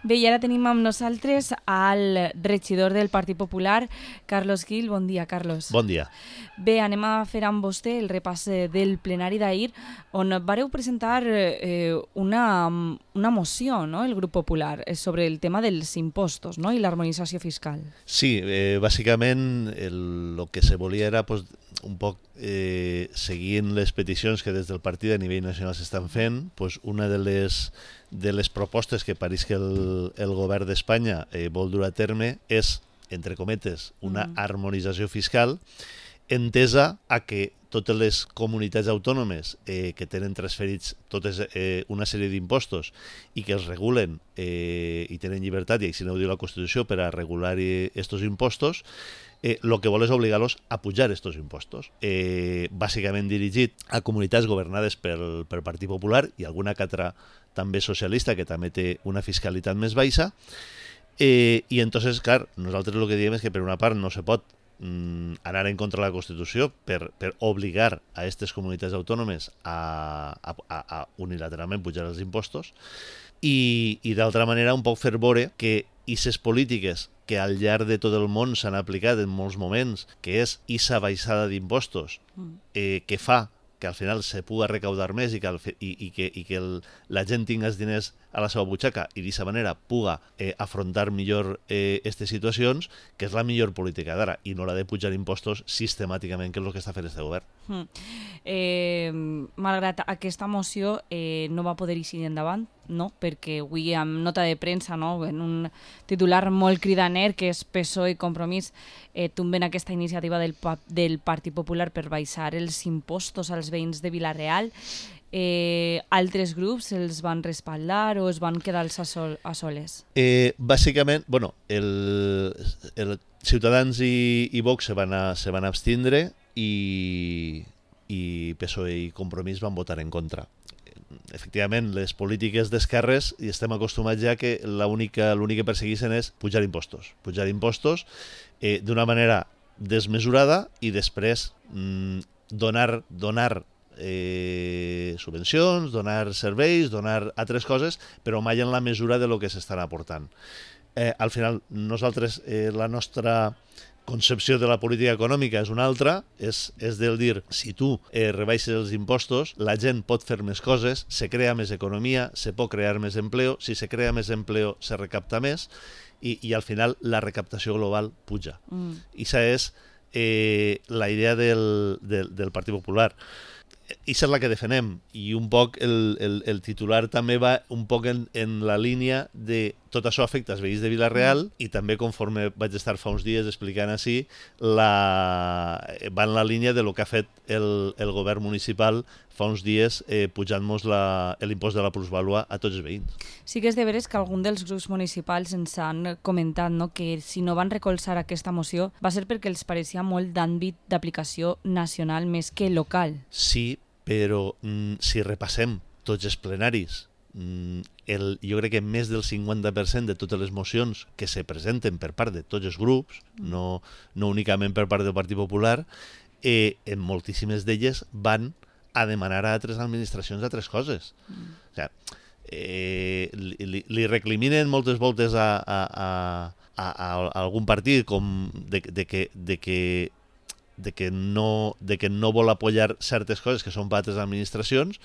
Bé, i ara tenim amb nosaltres al regidor del Partit Popular, Carlos Gil. Bon dia, Carlos. Bon dia. Bé, anem a fer amb vostè el repàs del plenari d'ahir, on vareu presentar una moció, no?, el grup popular, sobre el tema dels impostos, no?, i l'harmonització fiscal. Sí, bàsicament el que se volia era pues, un poc seguint les peticions que des del partit a nivell nacional s'estan fent, pues, una de les propostes que pareix que el govern d'Espanya vol dur a terme és, entre cometes, una harmonització fiscal entesa a que totes les comunitats autònomes que tenen transferits totes una sèrie d'impostos i que els regulen i tenen llibertat, i així no ho diu la Constitució, per a regular estos impostos, el que vol és obligar-los a pujar estos impostos. Bàsicament dirigit a comunitats governades pel Partit Popular i alguna que altra també socialista, que també té una fiscalitat més baixa. I entonces, clar, nosaltres el que diem és que per una part no se pot anar en contra de la Constitució per obligar a aquestes comunitats autònomes a unilateralment pujar els impostos i d'altra manera un poc fer veure que aquestes polítiques que al llarg de tot el món s'han aplicat en molts moments, que és aquesta baixada d'impostos que fa que al final se puga recaudar més i que la gent tingui els diners a la seva butxaca i d'aquesta manera puga afrontar millor aquestes situacions, que és la millor política d'ara, i no la de pujar impostos sistemàticament, que és el que està fent este govern. Malgrat aquesta moció no va poder eixir endavant, no? Perquè avui amb nota de premsa, no?, en un titular molt cridaner, que és PSOE i Compromís tomben aquesta iniciativa del Partit Popular per baixar els impostos als veïns de Vila-real. Altres grups els van respaldar o es van quedar a soles? Bàsicament, bueno, el Ciutadans i Vox se van abstindre i PSOE i Compromís van votar en contra. Efectivament, les polítiques d'esquerres, i estem acostumats ja que l'únic que persegueixen és pujar impostos d'una manera desmesurada i després donar subvencions, donar serveis, donar altres coses, però mai en la mesura de lo que s'estan aportant. Al final, nosaltres, la nostra concepció de la política econòmica és una altra, és del dir, si tu rebaixes els impostos, la gent pot fer més coses, se crea més economia, se pot crear més empleo, si se crea més empleo se recapta més i al final la recaptació global puja. I això és la idea del Partit Popular. I és la que defenem, i un poc el titular també va un poc en la línia de tot això afecta els veïns de Vila-real i també, conforme vaig estar fa uns dies explicant així, va en la línia de lo que ha fet el govern municipal fa uns dies pujant-nos l'impost de la plusvàlua a tots els veïns. Sí que és de veres que algun dels grups municipals ens han comentat, no?, que si no van recolzar aquesta moció va ser perquè els pareixia molt d'àmbit d'aplicació nacional més que local. Sí, però si repassem tots els plenaris, jo crec que més del 50% de totes les mocions que se presenten per part de tots els grups, no únicament per part del Partit Popular, en moltíssimes d'elles van a demanar a altres administracions altres coses. O sigui, li recriminen moltes voltes a algun partit com de que no vol apoyar certes coses que són per altres administracions.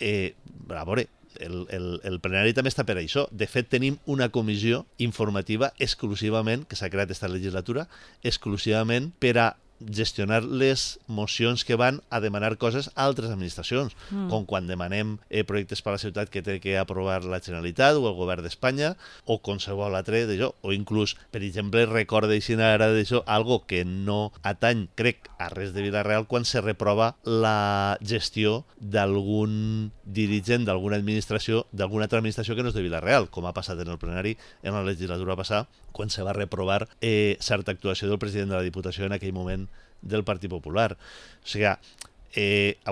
A veure, el plenari també està per això. De fet, tenim una comissió informativa exclusivament, que s'ha creat aquesta legislatura, exclusivament per a gestionar les mocions que van a demanar coses a altres administracions, com quan demanem projectes per a la ciutat que té que aprovar la Generalitat o el govern d'Espanya o qualsevol altre d'això, o inclús, per exemple, recordeixin ara d'això algo que no atany, crec, a res de Vila-real quan se reprova la gestió d'algun dirigent d'alguna administració, d'alguna altra administració que no és de Vila-real, com ha passat en el plenari en la legislatura passada, quan se va reprovar certa actuació del president de la Diputació en aquell moment del Partit Popular. O sigui, a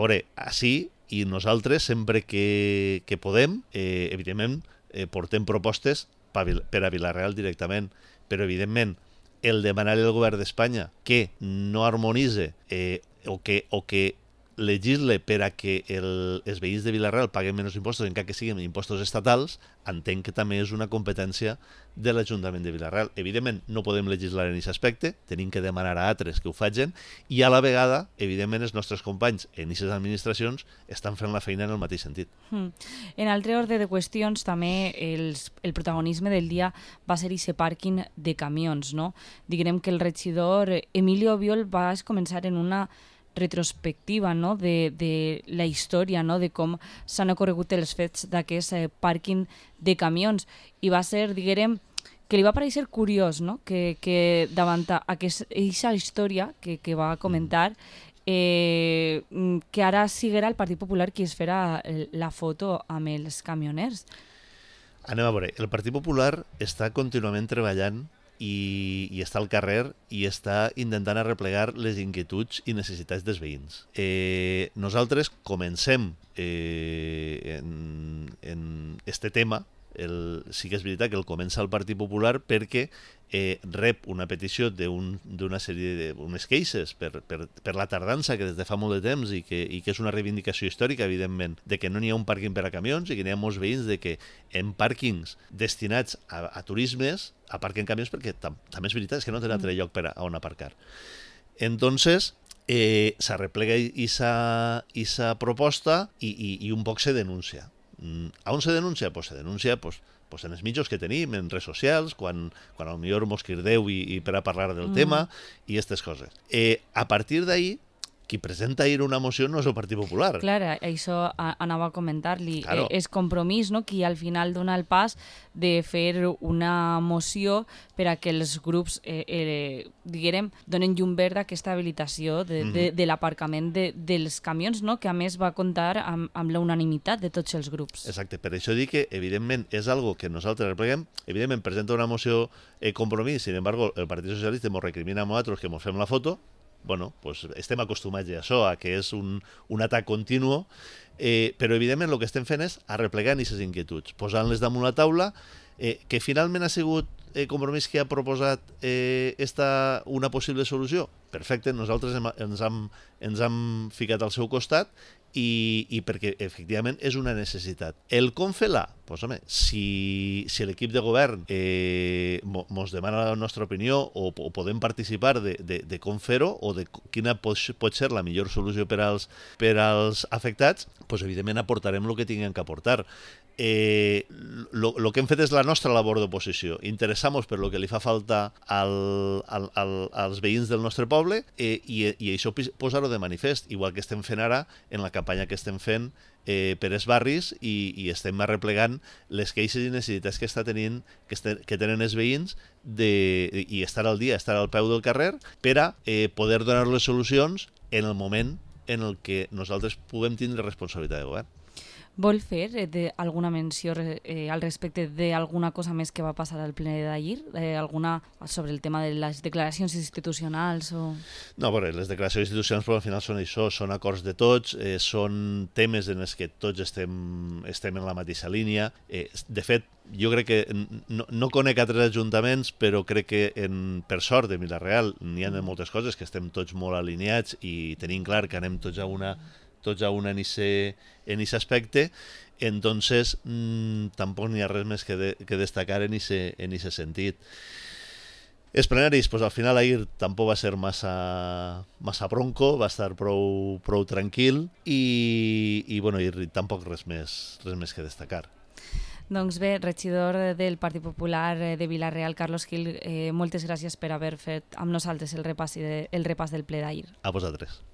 veure, així, i nosaltres sempre que podem, evidentment, portem propostes per a Vila-real directament, però evidentment el demanar al govern d'Espanya que no harmonitze o que legisle per a que els veïns de Vila-real paguen menys impostos, encara que siguin impostos estatals, entenc que també és una competència de l'Ajuntament de Vila-real. Evidentment, no podem legislar en aquest aspecte, tenim que demanar a altres que ho facin, i a la vegada, evidentment, els nostres companys en aquestes administracions estan fent la feina en el mateix sentit. En altre ordre de qüestions, també el protagonisme del dia va ser aquest pàrquing de camions, no? Diguem que el regidor Emilio Biol va començar en una retrospectiva, no? de la història, no? de com s'han ocorregut els fets d'aquest pàrquing de camions, i va ser, diguem, que li va parèixer curiós, no? que davant aquesta història que va comentar, que ara siguera el Partit Popular qui es farà la foto amb els camioners. Anem a veure, el Partit Popular està contínuament treballant i està al carrer i està intentant arreplegar les inquietuds i necessitats dels veïns. Nosaltres comencem en este tema. Sí que és veritat que el comença el Partit Popular perquè rep una petició d'una sèrie d'unes queixes per la tardança que des de fa molt de temps i que és una reivindicació històrica, evidentment, de que no n'hi ha un pàrquing per a camions i que n'hi ha molts veïns de que en pàrquings destinats a turismes aparquen camions perquè també és veritat, és que no tenen altre lloc on aparcar. Entonces, s'arreplega aquesta proposta i un poc se denuncia. A on se denuncia? Pues se denuncia en els mitjans que tenim, en redes socials, quan potser mos crideu i per a parlar del tema i aquestes coses. A partir d'ahí, qui presenta ahir una moció no és el Partit Popular. Clar, això anava a comentar-li. Claro. És Compromís, no?, qui al final dona el pas de fer una moció per a que els grups, diguem, donen llum verda a aquesta habilitació de l'aparcament dels camions, no?, que a més va comptar amb la unanimitat de tots els grups. Exacte, per això dic que evidentment és algo que nosaltres repleguem. Evidentment presenta una moció Compromís, sin embargo el Partit Socialista ens recrimina a nosaltres que ens fem la foto. Bueno, pues estem acostumats a això, a que és un atac continu, però evidentment el que estem fent és arreplegar aquestes inquietuds, posant-les damunt la taula, que finalment ha sigut Compromís que ha proposat una possible solució. Perfecte, nosaltres ens hem ficat al seu costat i perquè efectivament és una necessitat. El com fer-la? Doncs home, si l'equip de govern ens demana la nostra opinió o podem participar de com fer-ho o de quina pot ser la millor solució per als afectats, doncs evidentment aportarem el que tinguem que aportar. Lo que hem fet és la nostra labor d'oposició, interessar-nos per lo que li fa falta als veïns del nostre poble i això posar-ho de manifest, igual que estem fent ara en la campanya que estem fent per els barris i estem arreplegant les queixes i necessitats que tenen els veïns i estar al dia, estar al peu del carrer per a poder donar les solucions en el moment en el que nosaltres puguem tindre responsabilitat de govern. Vol fer alguna menció al respecte d'alguna cosa més que va passar al ple d'ahir? Alguna sobre el tema de les declaracions institucionals? No, bueno, les declaracions institucionals però al final són això, són acords de tots, són temes en els que tots estem en la mateixa línia. De fet, jo crec que no conec altres ajuntaments, però crec que per sort de Vila-real n'hi ha moltes coses que estem tots molt alineats i tenim clar que anem tots a una en ese aspecte, entonces tampoc n'hi ha res més que destacar en ese sentit. Els plenaris, pues al final ahir tampoc va ser massa bronco, va estar prou tranquil i bueno, tampoc res més que destacar. Doncs bé, regidor del Partit Popular de Vila-real, Carlos Gil, moltes gràcies per haver fet amb nosaltres el repàs del ple d'ahir. A vosaltres.